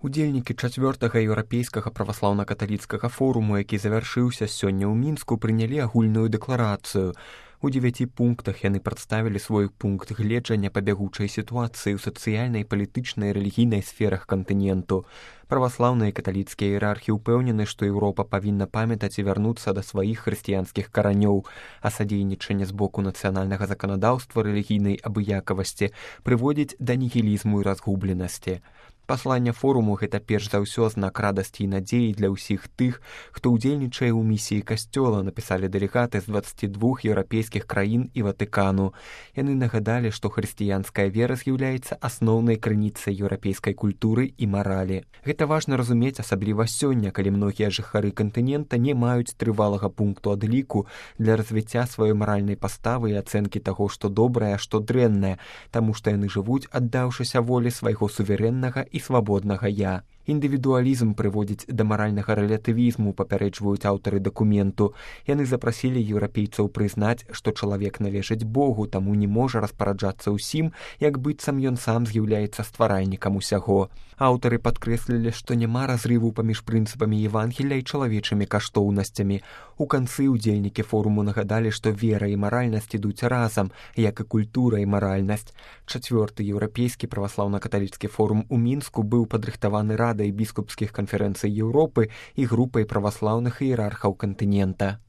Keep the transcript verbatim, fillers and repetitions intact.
Удзельнікі чацвёртага еўрапейскага праваслаўна-каталіцкага форуму, які завяршыўся сёння ў Мінску, прынялі агульную дэкларацыю. У дзевяці пунктах яны прадставілі свой пункт гледжання па бягучай сітуацыі ў сацыяльнай, палітычнай і рэлігійнай сферах кантыненту. Праваслаўныя і каталіцкія іерархі ўпэўнены, што Еўропа павінна памятаць і вярнуцца да сваіх хрысціянскіх каранёў, а садзейнічанне з боку нацыянальнага заканадаўства рэлігійнай абыякавасці прыводзіць да нігілізму і разгубленасці. Пасланне форуму – гэта перш за ўсё знак радасці і надзеі для ўсіх тых, хто ўдзельнічае ў місіі касцёла, напісалі дэлегаты з дваццаці двух еўрапейскіх краін і Ватыкану. Яны нагадалі, што хрысціянская вера з'яўляецца асноўнай крыніцай еўрапейскай культуры і маралі. Гэта важна разумець, асабліва сёння, калі многія жыхары кантынента не маюць трывалага пункту адліку для развіцця сваёй маральнай паставы і ацэнкі таго, што добрае, а што дрэннае, таму што яны жывуць, аддаўшыся волі свайго суверэннага і свабоднага я. Індывідуалізм прыводзіць да маральнага рэлятывізму, папярэджваюць аўтары дакументу. Яны запрасілі еўрапейцаў прызнаць, што чалавек належыць Богу, таму не можа распараджацца ўсім, як быццам ён сам з'яўляецца стваральнікам усяго. Аўтары падкрэслілі, што няма разрыву паміж прынцыпамі Евангелля і чалавечымі каштоўнасцямі. У канцы удзельнікі форуму нагадалі, што вера і маральнасць ідуць разам, як і культура і маральнасць. Чацвёрты еўрапейскі праваслаўна-каталіцкі форум у Мінску быў падрыхтаваны радай біскупскіх канферэнцый Еўропы і групай праваслаўных іерархаў кантынента.